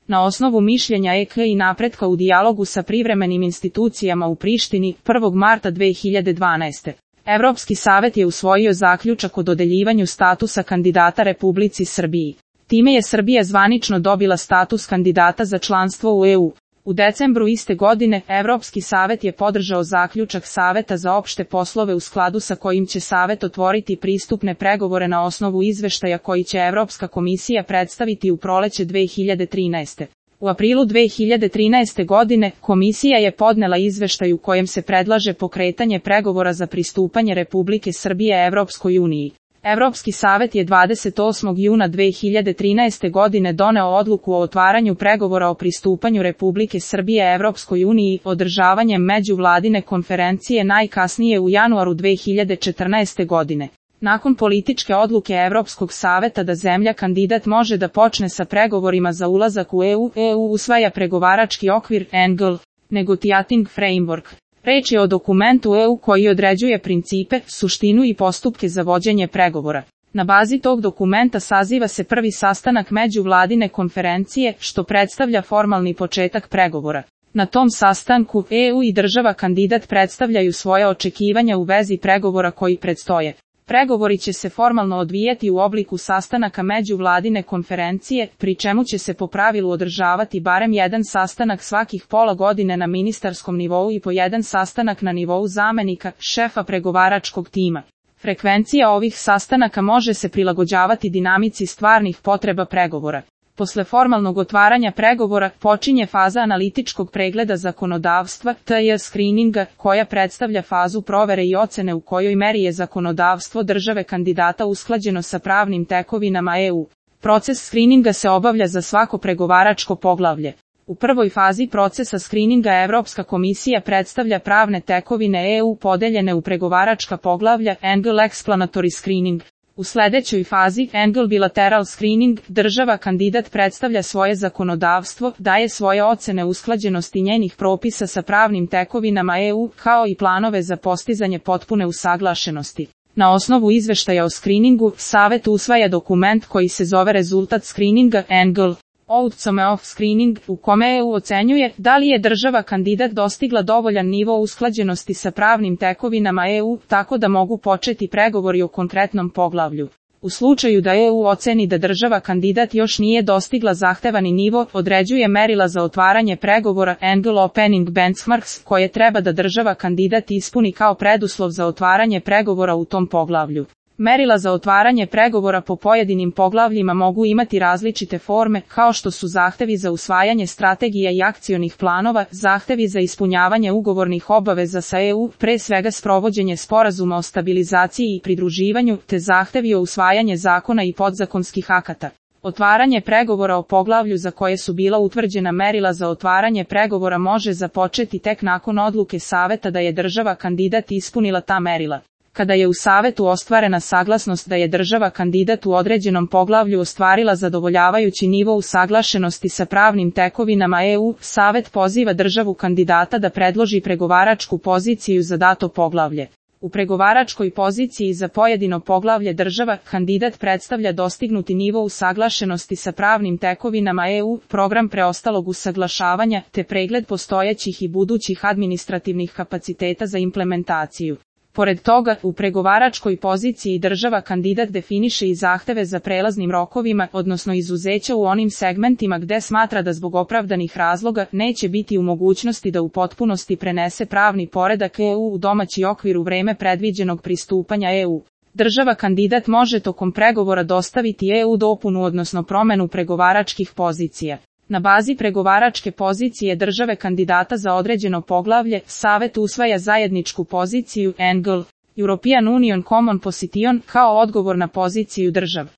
Na osnovu mišljenja EK i napretka u dijalogu sa privremenim institucijama u Prištini, 1. marta 2012. Evropski savet je usvojio zaključak o dodeljivanju statusa kandidata Republici Srbiji. Time je Srbija zvanično dobila status kandidata za članstvo u EU. U decembru iste godine, Evropski savet je podržao zaključak Saveta za opšte poslove u skladu sa kojim će Savet otvoriti pristupne pregovore na osnovu izveštaja koji će Evropska komisija predstaviti u proleće 2013. U aprilu 2013. godine, komisija je podnela izveštaj u kojem se predlaže pokretanje pregovora za pristupanje Republike Srbije Evropskoj uniji. Evropski savet je 28. juna 2013. godine doneo odluku o otvaranju pregovora o pristupanju Republike Srbije Evropskoj uniji održavanjem međuvladine konferencije najkasnije u januaru 2014. godine. Nakon političke odluke Evropskog saveta da zemlja kandidat može da počne sa pregovorima za ulazak u EU, EU usvaja pregovarački okvir ENGL, Negotiating Framework. Reč je o dokumentu EU koji određuje principe, suštinu i postupke za vođenje pregovora. Na bazi tog dokumenta saziva se prvi sastanak međuvladine konferencije, što predstavlja formalni početak pregovora. Na tom sastanku, EU i država kandidat predstavljaju svoje očekivanja u vezi pregovora koji predstoje. Pregovori će se formalno odvijati u obliku sastanaka međuvladine konferencije, pri čemu će se po pravilu održavati barem jedan sastanak svakih pola godine na ministarskom nivou i po jedan sastanak na nivou zamenika, šefa pregovaračkog tima. Frekvencija ovih sastanaka može se prilagođavati dinamici stvarnih potreba pregovora. Posle formalnog otvaranja pregovora, počinje faza analitičkog pregleda zakonodavstva, TJ screeninga, koja predstavlja fazu provere i ocene u kojoj meri je zakonodavstvo države kandidata usklađeno sa pravnim tekovinama EU. Proces screeninga se obavlja za svako pregovaračko poglavlje. U prvoj fazi procesa screeninga Evropska komisija predstavlja pravne tekovine EU podeljene u pregovaračka poglavlja, ENGL Explanatory Screening. U sledećoj fazi, ENGL Bilateral Screening, država kandidat predstavlja svoje zakonodavstvo, daje svoje ocene usklađenosti njenih propisa sa pravnim tekovinama EU, kao i planove za postizanje potpune usaglašenosti. Na osnovu izveštaja o screeningu, Savet usvaja dokument koji se zove rezultat screeninga, ENGL Outcome of Screening, u kome EU ocenjuje da li je država kandidat dostigla dovoljan nivo usklađenosti sa pravnim tekovinama EU, tako da mogu početi pregovori o konkretnom poglavlju. U slučaju da EU oceni da država kandidat još nije dostigla zahtevani nivo, određuje merila za otvaranje pregovora ENGL Opening Benchmarks, koje treba da država kandidat ispuni kao preduslov za otvaranje pregovora u tom poglavlju. Merila za otvaranje pregovora po pojedinim poglavljima mogu imati različite forme, kao što su zahtevi za usvajanje strategija i akcionih planova, zahtevi za ispunjavanje ugovornih obaveza sa EU, pre svega sprovođenje sporazuma o stabilizaciji i pridruživanju, te zahtevi o usvajanje zakona i podzakonskih akata. Otvaranje pregovora o poglavlju za koje su bila utvrđena merila za otvaranje pregovora može započeti tek nakon odluke Saveta da je država kandidat ispunila ta merila. Kada je u Savetu ostvarena saglasnost da je država kandidat u određenom poglavlju ostvarila zadovoljavajući nivo usaglašenosti sa pravnim tekovinama EU, Savet poziva državu kandidata da predloži pregovaračku poziciju za dato poglavlje. U pregovaračkoj poziciji za pojedino poglavlje država kandidat predstavlja dostignuti nivo usaglašenosti sa pravnim tekovinama EU, program preostalog usaglašavanja, te pregled postojećih i budućih administrativnih kapaciteta za implementaciju. Pored toga, u pregovaračkoj poziciji država kandidat definiše i zahteve za prelaznim rokovima, odnosno izuzeća u onim segmentima gde smatra da zbog opravdanih razloga neće biti u mogućnosti da u potpunosti prenese pravni poredak EU u domaći okvir u vreme predviđenog pristupanja EU. Država kandidat može tokom pregovora dostaviti EU dopunu odnosno promenu pregovaračkih pozicija. Na bazi pregovaračke pozicije države kandidata za određeno poglavlje, Savet usvaja zajedničku poziciju ENGL, European Union Common Position, kao odgovor na poziciju država.